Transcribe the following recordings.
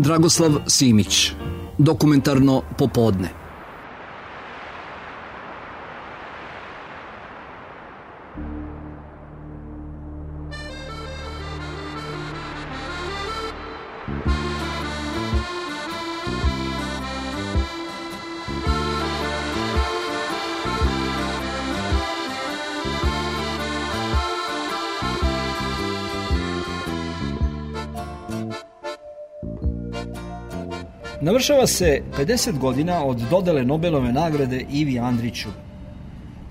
Dragoslav Simić. Dokumentarno popodne. Navršava se 50 godina od dodele Nobelove nagrade Ivi Andriću.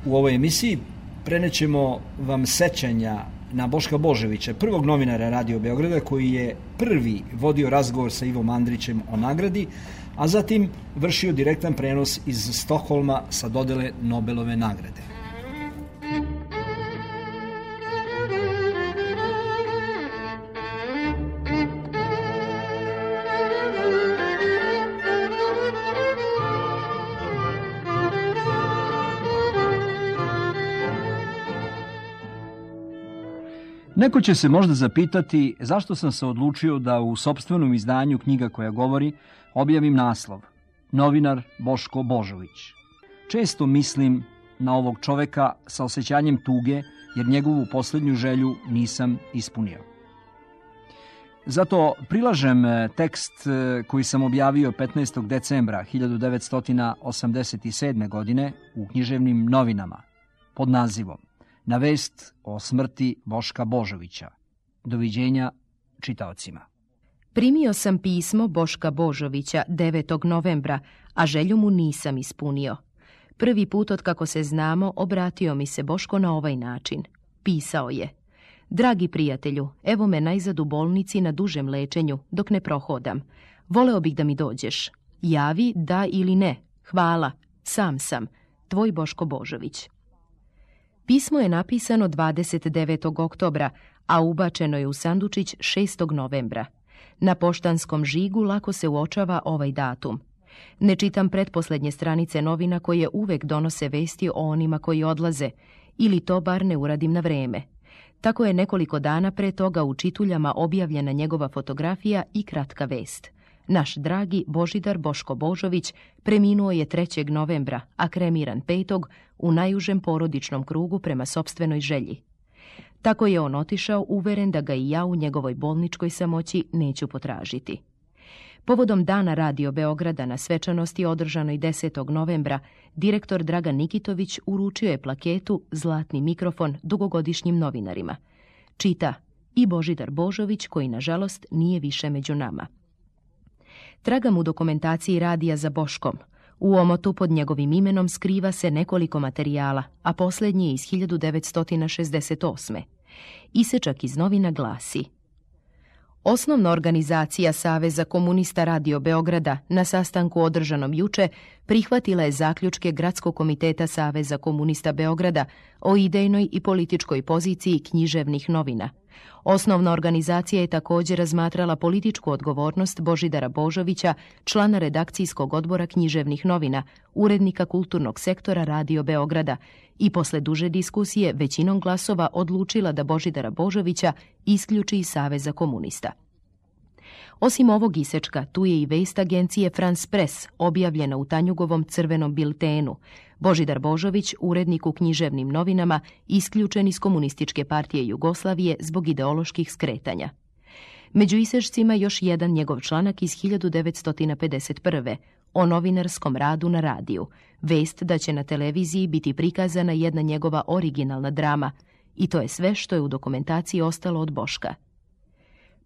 U ovoj emisiji prenećemo vam sećanja na Boška Božovića, prvog novinara Radio Beograda koji je prvi vodio razgovor sa Ivom Andrićem o nagradi, a zatim vršio direktan prenos iz Stokholma sa dodele Nobelove nagrade. Neko će se možda zapitati zašto sam se odlučio da u sopstvenom izdanju Knjiga koja govori objavim naslov Novinar Boško Božović. Često mislim na ovog čoveka sa osjećanjem tuge jer njegovu posljednju želju nisam ispunio. Zato prilažem tekst koji sam objavio 15. decembra 1987. godine u Književnim novinama pod nazivom Na vest o smrti Boška Božovića. Doviđenja čitaocima. Primio sam pismo Boška Božovića 9. novembra, a želju mu nisam ispunio. Prvi put od kako se znamo obratio mi se Boško na ovaj način. Pisao je: Dragi prijatelju, evo me najzad u bolnici na dužem lečenju, dok ne prohodam. Voleo bih da mi dođeš. Javi da ili ne. Hvala. Sam sam. Tvoj Boško Božović. Pismo je napisano 29. oktobra, a ubačeno je u sandučić 6. novembra. Na poštanskom žigu lako se uočava ovaj datum. Ne čitam pretposlednje stranice novina koje uvek donose vesti o onima koji odlaze, ili to bar ne uradim na vreme. Tako je nekoliko dana pre toga u čituljama objavljena njegova fotografija i kratka vest. Naš dragi Božidar Boško Božović preminuo je 3. novembra, a kremiran 5. u najužem porodičnom krugu prema sopstvenoj želji. Tako je on otišao, uveren da ga i ja u njegovoj bolničkoj samoći neću potražiti. Povodom Dana Radio Beograda na svečanosti održanoj 10. novembra, direktor Dragan Nikitović uručio je plaketu Zlatni mikrofon dugogodišnjim novinarima. Čita i Božidar Božović, koji nažalost nije više među nama. Tragam u dokumentaciji radija za Boškom. U omotu pod njegovim imenom skriva se nekoliko materijala, a posljednji je iz 1968. Isečak iz novina glasi: Osnovna organizacija Saveza komunista Radio Beograda na sastanku održanom juče prihvatila je zaključke Gradskog komiteta Saveza komunista Beograda o idejnoj i političkoj poziciji književnih novina. Osnovna organizacija je također razmatrala političku odgovornost Božidara Božovića, člana redakcijskog odbora književnih novina, urednika kulturnog sektora Radio Beograda, i posle duže diskusije većinom glasova odlučila da Božidara Božovića isključi iz Saveza komunista. Osim ovog isečka, tu je i vest agencije France Press, objavljena u Tanjugovom crvenom biltenu. Božidar Božović, urednik u književnim novinama, isključen iz Komunističke partije Jugoslavije zbog ideoloških skretanja. Među isečcima još jedan njegov članak iz 1951. o novinarskom radu na radiju, vest da će na televiziji biti prikazana jedna njegova originalna drama, i to je sve što je u dokumentaciji ostalo od Boška.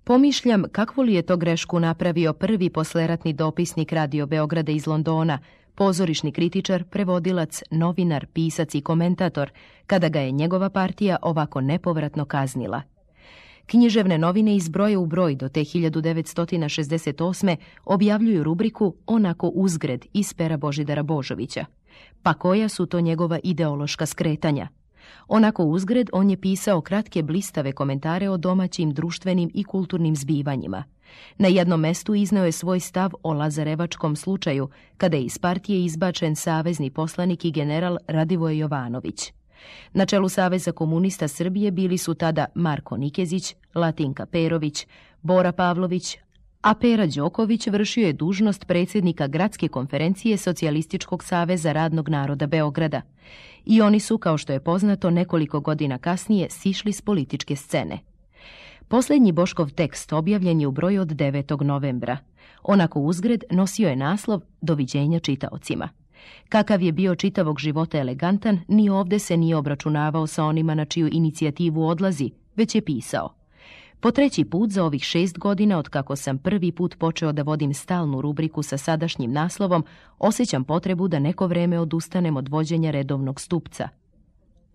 Pomišljam kakvu li je to grešku napravio prvi posleratni dopisnik Radio Beograda iz Londona, pozorišni kritičar, prevodilac, novinar, pisac i komentator, kada ga je njegova partija ovako nepovratno kaznila. Književne novine iz broja u broj do te 1968. objavljuju rubriku Onako uzgred iz pera Božidara Božovića. Pa koja su to njegova ideološka skretanja? Onako uzgred on je pisao kratke blistave komentare o domaćim, društvenim i kulturnim zbivanjima. Na jednom mestu izneo je svoj stav o Lazarevačkom slučaju, kada je iz partije izbačen savezni poslanik i general Radivoje Jovanović. Na čelu Saveza komunista Srbije bili su tada Marko Nikezić, Latinka Perović, Bora Pavlović, a Pera Đoković vršio je dužnost predsjednika Gradske konferencije Socijalističkog saveza radnog naroda Beograda. I oni su, kao što je poznato, nekoliko godina kasnije sišli s političke scene. Posljednji Boškov tekst objavljen je u broju od 9. novembra. Onako uzgred nosio je naslov Doviđenja čitaocima. Kakav je bio čitavog života elegantan, ni ovdje se nije obračunavao sa onima na čiju inicijativu odlazi, već je pisao: po treći put za ovih 6 godina, otkako sam prvi put počeo da vodim stalnu rubriku sa sadašnjim naslovom, osjećam potrebu da neko vreme odustanem od vođenja redovnog stupca.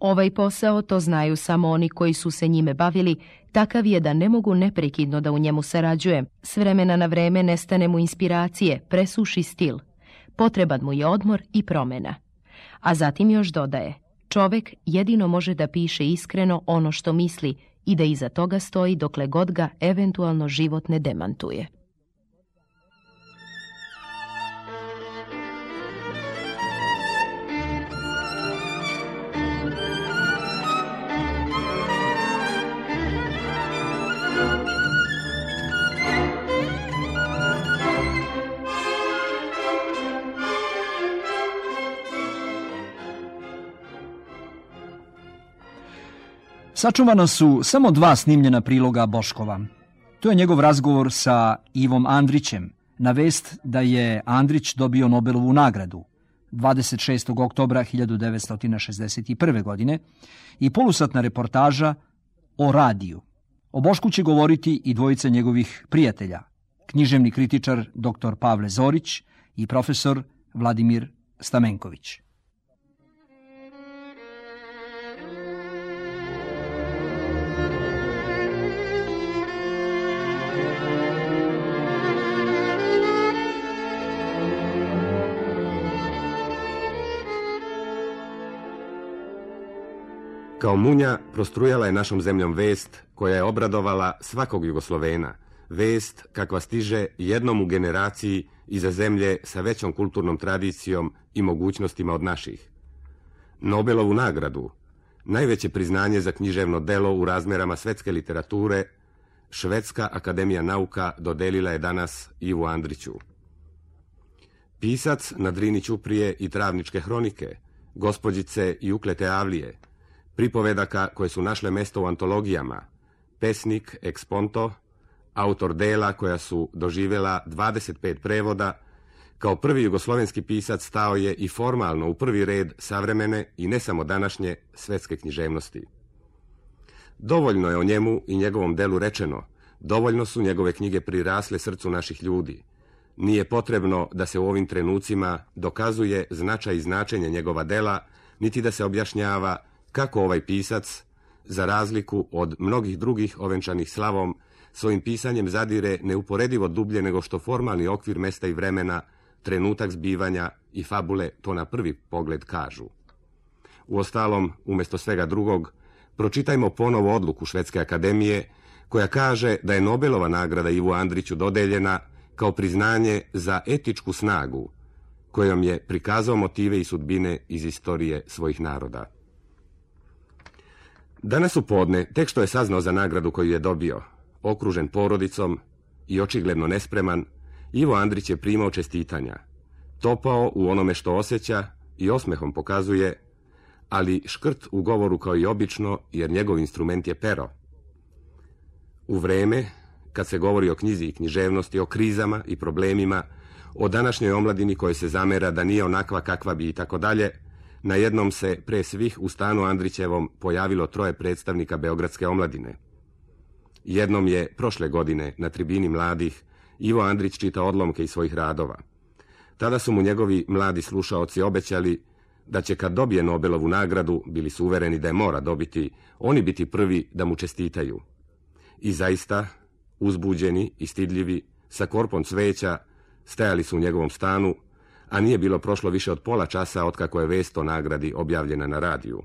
Ovaj posao, to znaju samo oni koji su se njime bavili, takav je da ne mogu neprekidno da u njemu sarađujem. S vremena na vreme nestane mu inspiracije, presuši stil. Potreban mu je odmor i promjena. A zatim još dodaje: čovek jedino može da piše iskreno ono što misli i da iza toga stoji dokle god ga eventualno život ne demantuje. Sačuvana su samo 2 snimljena priloga Boškova. To je njegov razgovor sa Ivom Andrićem na vest da je Andrić dobio Nobelovu nagradu 26. oktobra 1961. godine i polusatna reportaža o radiju. O Bošku će govoriti i dvojica njegovih prijatelja, književni kritičar dr. Pavle Zorić i profesor Vladimir Stamenković. Kao munja prostrujala je našom zemljom vest koja je obradovala svakog Jugoslovena, vest kakva stiže jednom u generaciji iza zemlje sa većom kulturnom tradicijom i mogućnostima od naših. Nobelovu nagradu, najveće priznanje za književno delo u razmerama svetske literature, Švedska akademija nauka dodelila je danas Ivu Andriću. Pisac na Drini ćuprije i Travničke hronike, Gospođice i uklete avlije, pripovedaka koje su našle mesto u antologijama, pesnik ex ponto, autor dela koja su doživjela 25 prevoda, kao prvi jugoslovenski pisac stao je i formalno u prvi red savremene i ne samo današnje svetske književnosti. Dovoljno je o njemu i njegovom delu rečeno, dovoljno su njegove knjige prirasle srcu naših ljudi. Nije potrebno da se u ovim trenucima dokazuje značaj i značenje njegova dela, niti da se objašnjava kako ovaj pisac, za razliku od mnogih drugih ovenčanih slavom, svojim pisanjem zadire neuporedivo dublje nego što formalni okvir mesta i vremena, trenutak zbivanja i fabule to na prvi pogled kažu. Uostalom, umjesto svega drugog, pročitajmo ponovo odluku Švedske akademije koja kaže da je Nobelova nagrada Ivu Andriću dodeljena kao priznanje za etičku snagu kojom je prikazao motive i sudbine iz istorije svojih naroda. Danas u podne, tek što je saznao za nagradu koju je dobio, okružen porodicom i očigledno nespreman, Ivo Andrić je primao čestitanja, topao u onome što osjeća i osmehom pokazuje, ali škrt u govoru kao i obično, jer njegov instrument je pero. U vreme, kad se govori o knjizi i književnosti, o krizama i problemima, o današnjoj omladini kojoj se zamera da nije onakva kakva bi i tako dalje, najednom se pre svih u stanu Andrićevom pojavilo 3 predstavnika beogradske omladine. Jednom je prošle godine na tribini mladih Ivo Andrić čitao odlomke iz svojih radova. Tada su mu njegovi mladi slušaoci obećali da će kad dobije Nobelovu nagradu, bili su uvereni da je mora dobiti, oni biti prvi da mu čestitaju. I zaista, uzbuđeni i stidljivi, sa korpom cveća, stajali su u njegovom stanu, a nije bilo prošlo više od pola časa otkako je vest o nagradi objavljena na radiju.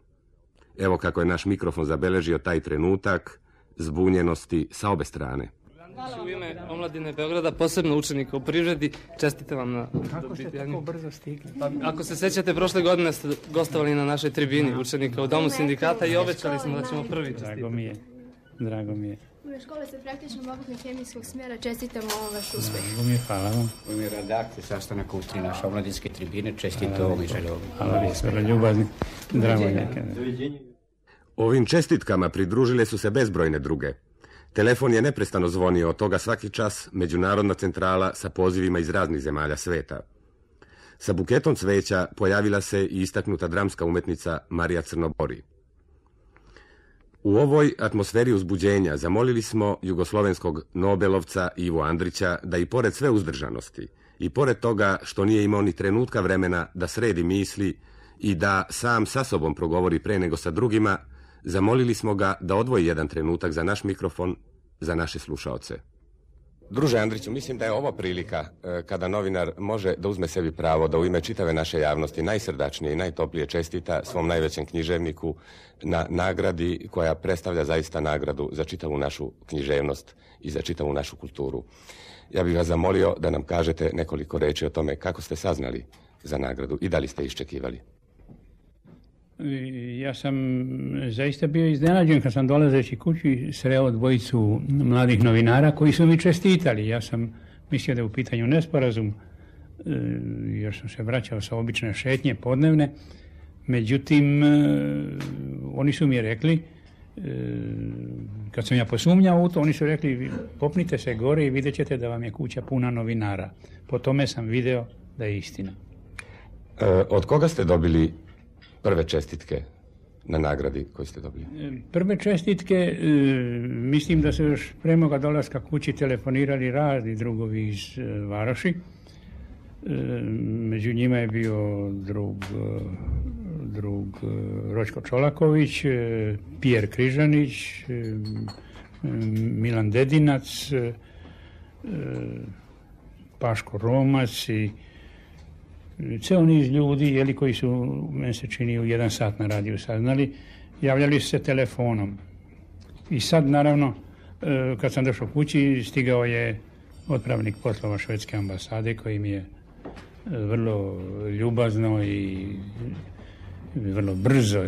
Evo kako je naš mikrofon zabeležio taj trenutak zbunjenosti sa obe strane. U ime omladine Beograda, posebno učenika u privredi, čestitam vam na... Kako ste tako brzo stigli? Ako se sećate, prošle godine ste gostovali na našoj tribini učenika u Domu sindikata i obećali smo da ćemo prvi čestitati. Drago mi je. U ime škole se praktično obrtno-kemijskog smjera čestitamo ovom vaš uspjeh. Hvala vam. U ime redakcije sastanaka Ustri naše omladinske tribine čestito ovom i želeo. Hvala vi, sve ljubazni. Drago neke. Ovim čestitkama pridružile su se bezbrojne druge. Telefon je neprestano zvonio, od toga svaki čas međunarodna centrala sa pozivima iz raznih zemalja sveta. Sa buketom cveća pojavila se i istaknuta dramska umetnica Marija Crnobori. U ovoj atmosferi uzbuđenja zamolili smo jugoslovenskog Nobelovca Ivu Andrića da i pored sve uzdržanosti i pored toga što nije imao ni trenutka vremena da sredi misli i da sam sa sobom progovori pre nego sa drugima, zamolili smo ga da odvoji jedan trenutak za naš mikrofon, za naše slušaoce. Druže Andriću, mislim da je ovo prilika kada novinar može da uzme sebi pravo da u ime čitave naše javnosti najsrdačnije i najtoplije čestita svom najvećem književniku na nagradi koja predstavlja zaista nagradu za čitavu našu književnost i za čitavu našu kulturu. Ja bih vas zamolio da nam kažete nekoliko reči o tome kako ste saznali za nagradu i da li ste iščekivali. Ja sam zaista bio iznenađen kad sam dolazeći kući sreo dvojicu mladih novinara koji su mi čestitali. Ja sam mislio da je u pitanju nesporazum, jer sam se vraćao sa obične šetnje podnevne. Međutim, oni su mi rekli, kad sam ja posumnjao u to, oni su rekli popnite se gore i vidjet ćete da vam je kuća puna novinara. Po tome sam video da je istina. Od koga ste dobili prve čestitke na nagradi koju ste dobili? Prve čestitke, mislim da su još pre moga dolaska kući telefonirali razni drugovi iz Varoši. Među njima je bio drug Ročko Čolaković, Pijer Križanić, Milan Dedinac, Paško Romac i ceo niz ljudi koji su, meni se čini, u 1 sat na radiju saznali, javljali su se telefonom. I sad, naravno, kad sam došao kući, stigao je otpravnik poslova švedske ambasade koji mi je vrlo ljubazno i vrlo brzo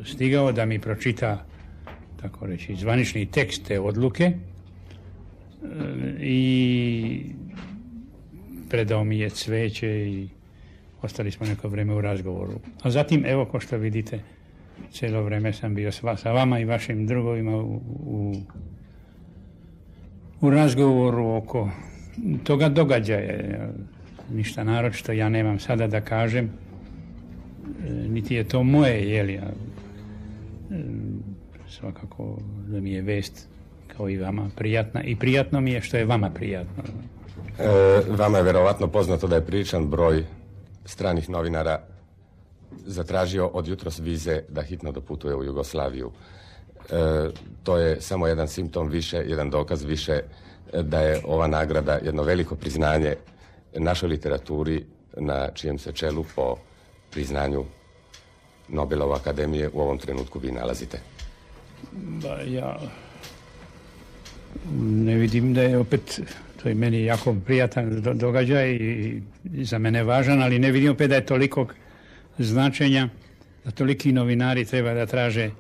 stigao da mi pročita, tako reći, zvanični tekst te odluke i predao mi je cveće i ostali smo neko vreme u razgovoru. A zatim, evo, ko što vidite, cijelo vreme sam bio sa vama i vašim drugovima u razgovoru oko toga događaja. Ništa naročito ja nemam sada da kažem, niti je to moje, svakako da mi je vest kao i vama prijatna i prijatno mi je što je vama prijatno. Vama je verovatno poznato da je priličan broj stranih novinara zatražio od jutros vize da hitno doputuje u Jugoslaviju. To je samo jedan simptom više, jedan dokaz više da je ova nagrada jedno veliko priznanje našoj literaturi na čijem se čelu po priznanju Nobelove akademije u ovom trenutku vi nalazite. Ja ne vidim da je opet, to je meni jako prijatan događaj i za mene važan, ali ne vidim opet da je tolikog značenja, da toliki novinari treba da traže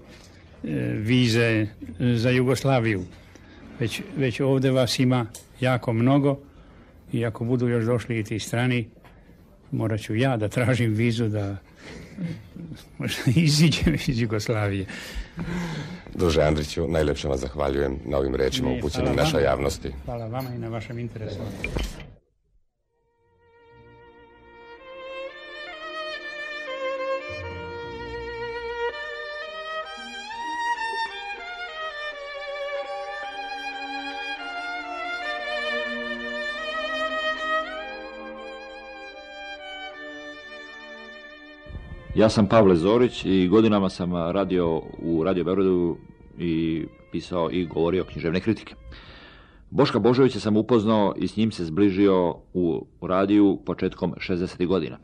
vize za Jugoslaviju. Već ovdje vas ima jako mnogo i ako budu još došli i ti strani, morat ću ja da tražim vizu da možda iziđem iz Jugoslavije. Druže Andriću, najlepše vam zahvaljujem na ovim rečima upućenim našoj javnosti. Hvala vama i na vašem interesu. Ja sam Pavle Zorić i godinama sam radio u Radio Beogradu i pisao i govorio književne kritike. Boška Božovića sam upoznao i s njim se zbližio u radiju početkom 60. godina.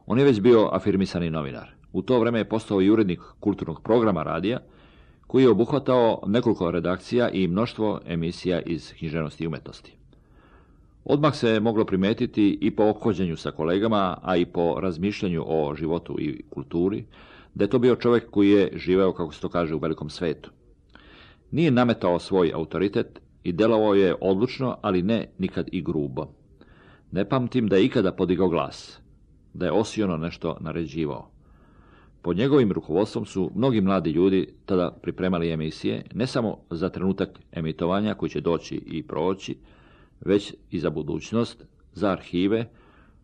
On je već bio afirmisani novinar. U to vreme je postao i urednik kulturnog programa radija, koji je obuhvatao nekoliko redakcija i mnoštvo emisija iz književnosti i umetnosti. Odmah se moglo primetiti i po ophođenju sa kolegama, a i po razmišljanju o životu i kulturi, da je to bio čovjek koji je živeo, kako se to kaže, u velikom svetu. Nije nametao svoj autoritet i delovao je odlučno, ali ne nikad i grubo. Ne pamtim da je ikada podigao glas, da je osiono nešto naređivao. Pod njegovim rukovodstvom su mnogi mladi ljudi tada pripremali emisije, ne samo za trenutak emitovanja koji će doći i proći, već i za budućnost, za arhive,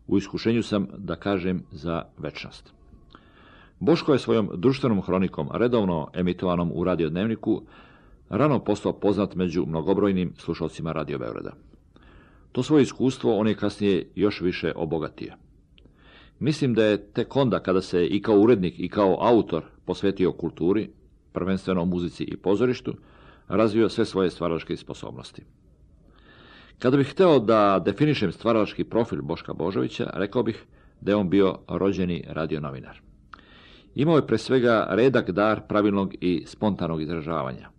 u iskušenju sam da kažem za večnost. Boško je svojom društvenom hronikom, redovno emitovanom u radiodnevniku, rano postao poznat među mnogobrojnim slušalcima Radio Beograda. To svoje iskustvo on je kasnije još više obogatio. Mislim da je tek onda kada se i kao urednik i kao autor posvetio kulturi, prvenstveno muzici i pozorištu, razvio sve svoje stvaralačke sposobnosti. Kada bih hteo da definišem stvaralački profil Boška Božovića, rekao bih da je on bio rođeni radionovinar. Imao je pre svega redak dar pravilnog i spontanog izražavanja.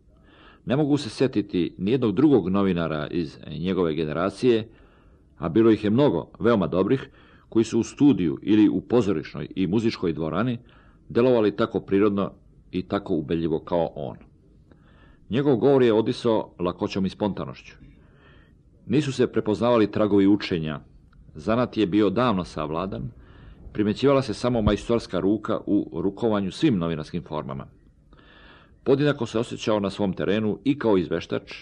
Ne mogu se sjetiti nijednog drugog novinara iz njegove generacije, a bilo ih je mnogo, veoma dobrih, koji su u studiju ili u pozorišnoj i muzičkoj dvorani delovali tako prirodno i tako ubedljivo kao on. Njegov govor je odisao lakoćom i spontanošću. Nisu se prepoznavali tragovi učenja, zanat je bio davno savladan, primećivala se samo majstorska ruka u rukovanju svim novinarskim formama. Podjednako se osjećao na svom terenu i kao izveštač,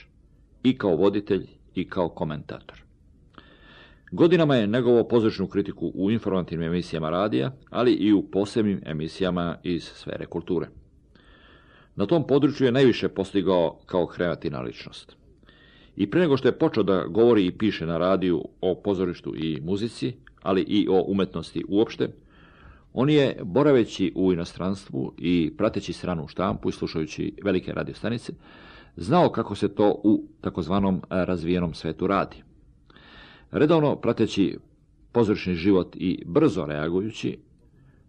i kao voditelj, i kao komentator. Godinama je negovao pozorišnu kritiku u informativnim emisijama radija, ali i u posebnim emisijama iz sfere kulture. Na tom području je najviše postigao kao kreativna ličnost. I pre nego što je počeo da govori i piše na radiju o pozorištu i muzici, ali i o umetnosti uopšte, on je, boraveći u inostranstvu i prateći stranu štampu i slušajući velike radiostanice, znao kako se to u takozvanom razvijenom svetu radi. Redovno prateći pozorišni život i brzo reagujući,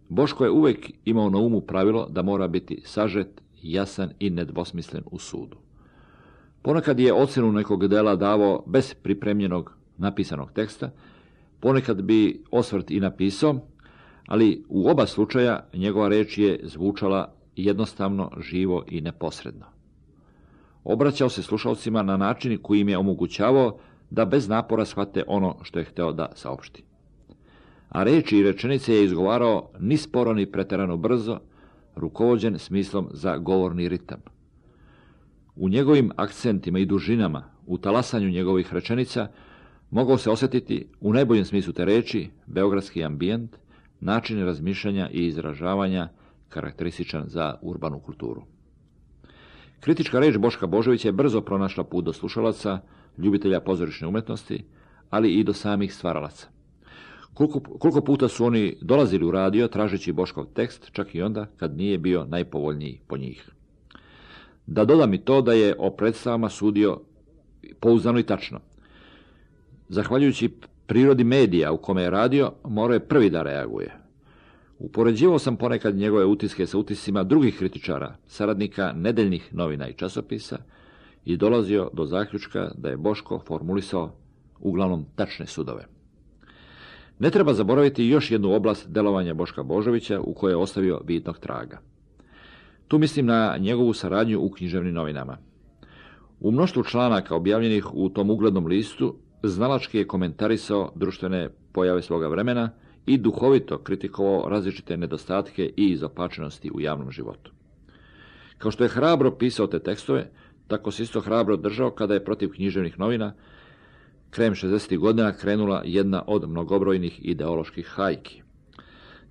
Boško je uvek imao na umu pravilo da mora biti sažet, jasan i nedvosmislen u sudu. Ponekad je ocenu nekog dela davao bez pripremljenog napisanog teksta, ponekad bi osvrt i napisao, ali u oba slučaja njegova reč je zvučala jednostavno, živo i neposredno. Obraćao se slušalcima na način koji im je omogućavao da bez napora shvate ono što je hteo da saopšti. A reči i rečenice je izgovarao ni sporo ni preterano brzo, rukovođen smislom za govorni ritam. U njegovim akcentima i dužinama, u talasanju njegovih rečenica, mogao se osjetiti, u najboljem smislu te reči, beogradski ambijent, način razmišljanja i izražavanja karakterističan za urbanu kulturu. Kritička reč Boška Božovića je brzo pronašla put do slušalaca, ljubitelja pozorišne umetnosti, ali i do samih stvaralaca. Koliko puta su oni dolazili u radio tražeći Boškov tekst, čak i onda kad nije bio najpovoljniji po njih. Da dodam i to da je o predstavama sudio pouzdano i tačno. Zahvaljujući prirodi medija u kome je radio, morao je prvi da reaguje. Upoređivao sam ponekad njegove utiske sa utiscima drugih kritičara, saradnika nedeljnih novina i časopisa i dolazio do zaključka da je Boško formulisao uglavnom tačne sudove. Ne treba zaboraviti još jednu oblast delovanja Boška Božovića u kojoj je ostavio vidnog traga. Tu mislim na njegovu saradnju u književnim novinama. U mnoštvu članaka objavljenih u tom uglednom listu znalački je komentarisao društvene pojave svoga vremena i duhovito kritikovao različite nedostatke i izopačenosti u javnom životu. Kao što je hrabro pisao te tekstove, tako se isto hrabro držao kada je protiv književnih novina krajem 60. godina krenula jedna od mnogobrojnih ideoloških hajki.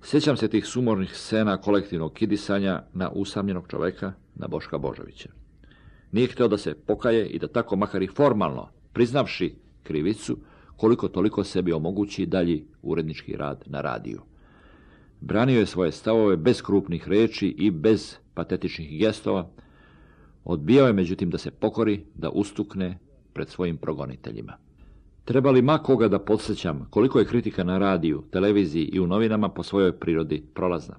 Sjećam se tih sumornih scena kolektivnog kidisanja na usamljenog čoveka, na Boška Božovića. Nije hteo da se pokaje i da tako makar i formalno, priznavši krivicu, koliko toliko sebi omogući dalji urednički rad na radiju. Branio je svoje stavove bez krupnih reči i bez patetičnih gestova, odbijao je međutim da se pokori, da ustukne pred svojim progoniteljima. Treba li ma koga da podsjećam koliko je kritika na radiju, televiziji i u novinama po svojoj prirodi prolazna?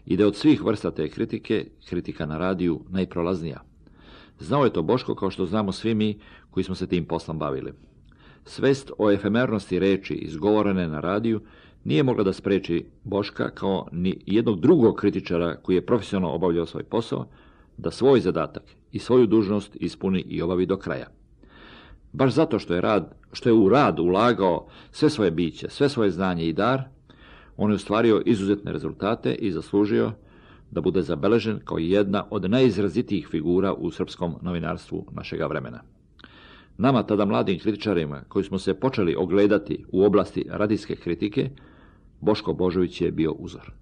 I da je od svih vrsta te kritike, kritika na radiju najprolaznija. Znao je to Boško kao što znamo svi mi koji smo se tim poslom bavili. Svest o efemernosti reči izgovorene na radiju nije mogla da spreči Boška kao ni jednog drugog kritičara koji je profesionalno obavljao svoj posao, da svoj zadatak i svoju dužnost ispuni i obavi do kraja. Baš zato što je u rad ulagao sve svoje biće, sve svoje znanje i dar, on je ostvario izuzetne rezultate i zaslužio da bude zabeležen kao jedna od najizrazitijih figura u srpskom novinarstvu našega vremena. Nama, tada mladim kritičarima, koji smo se počeli ogledati u oblasti radijske kritike, Boško Božović je bio uzor.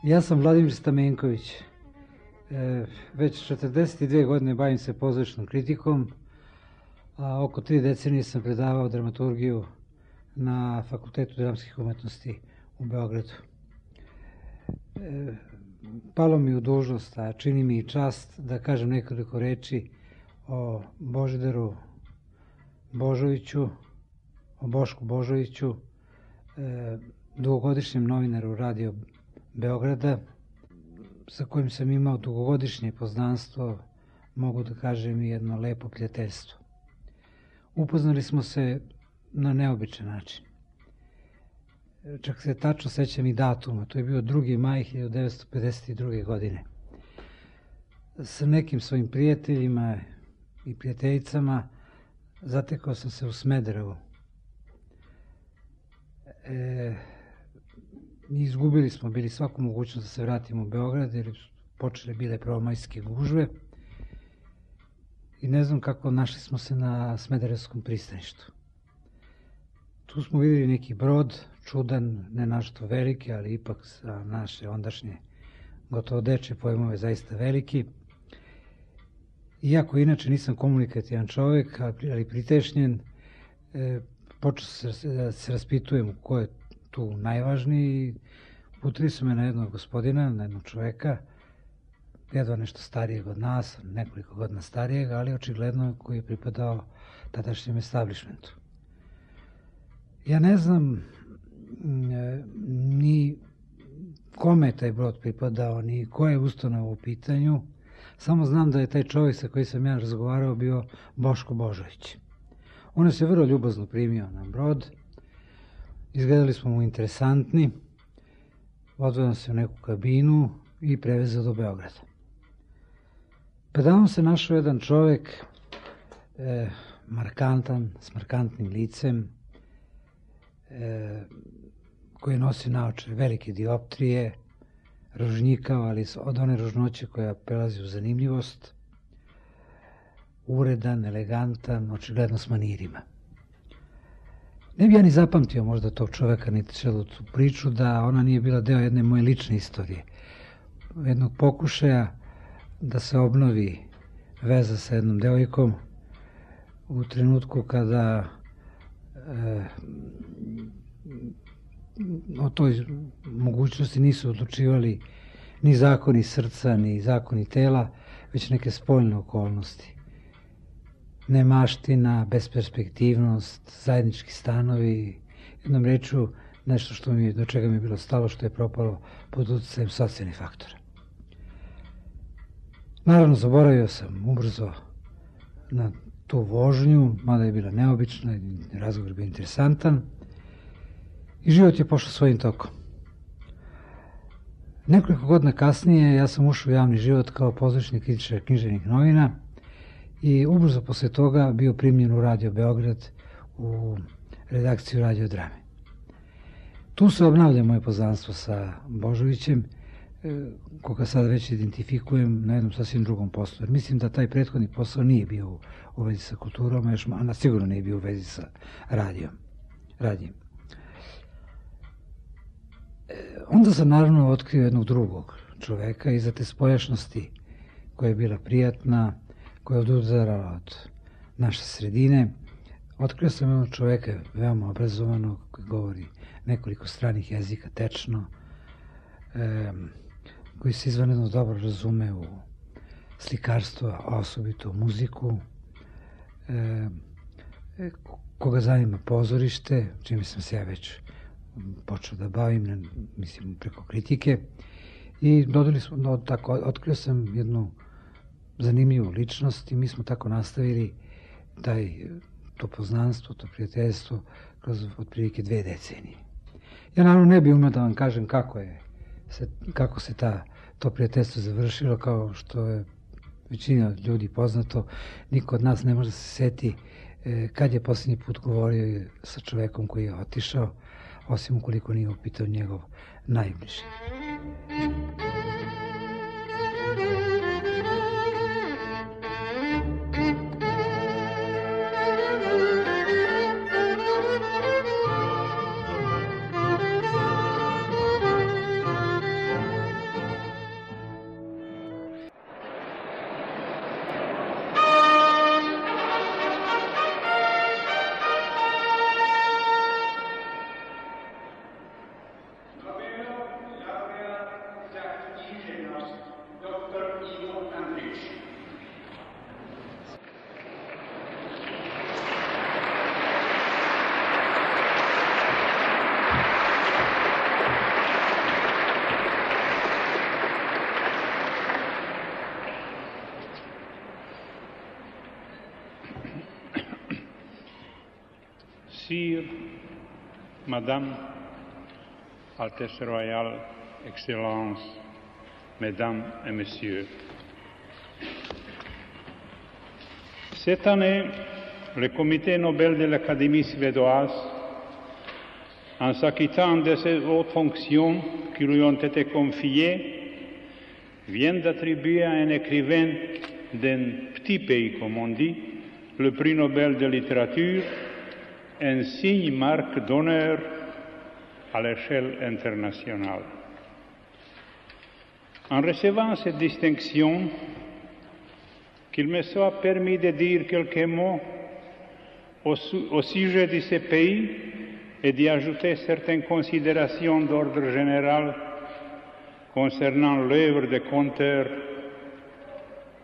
Ja sam Vladimir Stamenković. Već 42 godine bavim se pozorišnom kritikom, a oko 3 decenije sam predavao dramaturgiju na Fakultetu dramskih umetnosti u Beogradu. Palo mi u dužnost, a čini mi i čast da kažem nekoliko reči o Božidaru Božoviću, o Bošku Božoviću, dugogodišnjem novinaru Radio Beograda, sa kojim sam imao dugogodišnje poznanstvo, mogu da kažem i jedno lepo prijateljstvo. Upoznali smo se na neobičan način. Čak se tačno sećam i datuma, to je bio 2. maj 1952. godine. Sa nekim svojim prijateljima i prijateljicama zatekao sam se u Smederevu. Izgubili smo bili svaku mogućnost da se vratimo u Beograd, jer počele bile prvomajske gužve i ne znam kako našli smo se na Smederevskom pristaništu. Tu smo vidjeli neki brod, čudan, ne našto veliki, ali ipak za naše ondašnje gotovo dečje pojmove zaista veliki. Iako inače nisam komunikativan čovjek, ali pritešnjen, počeo da se raspitujem ko je tu najvažniji. Putili su me na jednog gospodina, na jednog čoveka, jedva nešto starijeg od nas, nekoliko godina starijeg, ali očigledno koji je pripadao tadašnjem establishmentu. Ja ne znam ni kome je taj brod pripadao, ni koja je ustanova u pitanju, samo znam da je taj čovjek sa kojim sam ja razgovarao bio Boško Božović. On je se vrlo ljubazno primio na brod, izgledali smo mu interesantni, odveo nam se u neku kabinu i prevezao do Beograda. Predavom se našao jedan čovjek, markantan, s markantnim licem, koji nosi naočare velike dioptrije, ružnjikao, ali od one ružnoće koja prelazi u zanimljivost, uredan, elegantan, očigledno s manirima. Ne bi ja ni zapamtio možda tog čoveka, niti celu tu priču, da ona nije bila deo jedne moje lične istorije. Jednog pokušaja da se obnovi veza sa jednom devojkom u trenutku kada o toj mogućnosti nisu odlučivali ni zakoni srca, ni zakoni tela, već neke spoljne okolnosti. Nemaština, besperspektivnost, zajednički stanovi, jednom rečju nešto do čega mi je bilo stalo, što je propalo pod utjecajem socijalnih faktora. Naravno, zaboravio sam ubrzo na tu vožnju, mada je bila neobična, razgovor je bio interesantan i život je pošao svojim tokom. Nekoliko godina kasnije ja sam ušao u javni život kao pozorišni kritičar književnih novina i ubrzo posle toga bio primljen u Radio Beograd u redakciju Radio Drame. Tu se obnavlja moje poznanstvo sa Božovićem, koga sad već identifikujem na jednom sasvim drugom poslu. Jer mislim da taj prethodni posao nije bio u vezi sa kulturom, a sigurno nije bio u vezi sa radijem. Onda sam naravno otkrio jednog drugog čoveka iza te spoljašnosti koja je bila prijatna, koja je odudarala od naše sredine. Otkrio sam jednog čoveka veoma obrazovanog koji govori nekoliko stranih jezika tečno, koji se izvanredno dobro razume u slikarstvo, a osobito u muziku, koga zanima pozorište, čime sam se ja već počeo da bavim, mislim, preko kritike. I otkrio sam jednu zanimljivu ličnost i mi smo tako nastavili to poznanstvo, to prijateljstvo kroz otprilike 2 decenije. Ja naravno ne bih umeo da vam kažem kako se to prijateljstvo završilo, kao što je većina ljudi poznato. Niko od nas ne može da se seti kad je posljednji put govorio sa čovekom koji je otišao, osim ukoliko nije upitao njegov najbliži. Sire, Madame, Altesse Royale, Excellence, Mesdames et Messieurs. Cette année, le Comité Nobel de l'Académie suédoise, en s'acquittant de ces hautes fonctions qui lui ont été confiées, vient d'attribuer à un écrivain d'un petit pays, comme on dit, le prix Nobel de littérature, un signe marque d'honneur à l'échelle internationale. En recevant cette distinction, qu'il me soit permis de dire quelques mots au sujet de ce pays et d'y ajouter certaines considérations d'ordre général concernant l'œuvre de conteur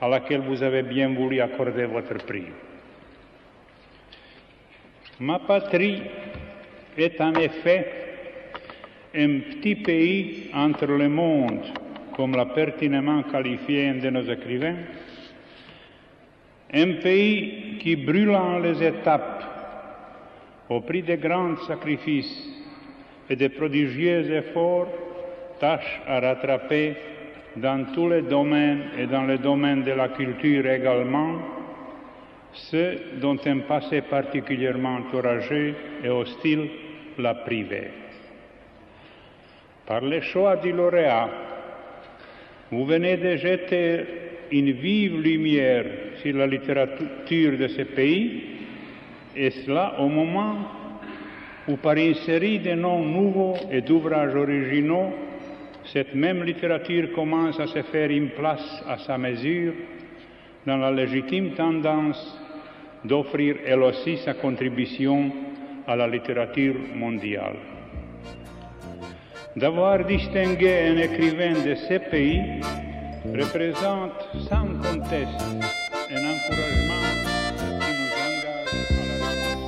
à laquelle vous avez bien voulu accorder votre prix. Ma patrie est en effet un petit pays entre le monde, comme l'a pertinemment qualifié un de nos écrivains, un pays qui, brûlant les étapes au prix de grands sacrifices et de prodigieux efforts, tâche à rattraper dans tous les domaines et dans le domaine de la culture également, ceux dont un passé particulièrement orageux et hostile l'a privé. Par le choix du lauréat, vous venez de jeter une vive lumière sur la littérature de ce pays, et cela au moment où, par une série de noms nouveaux et d'ouvrages originaux, cette même littérature commence à se faire une place à sa mesure dans la légitime tendance d'offrir elle aussi sa contribution à la littérature mondiale. D'avoir distingué un écrivain de ce pays représente sans conteste un encouragement qui nous engage à la réponse.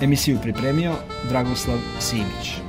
Emisiju pripremio Dragoslav Simić.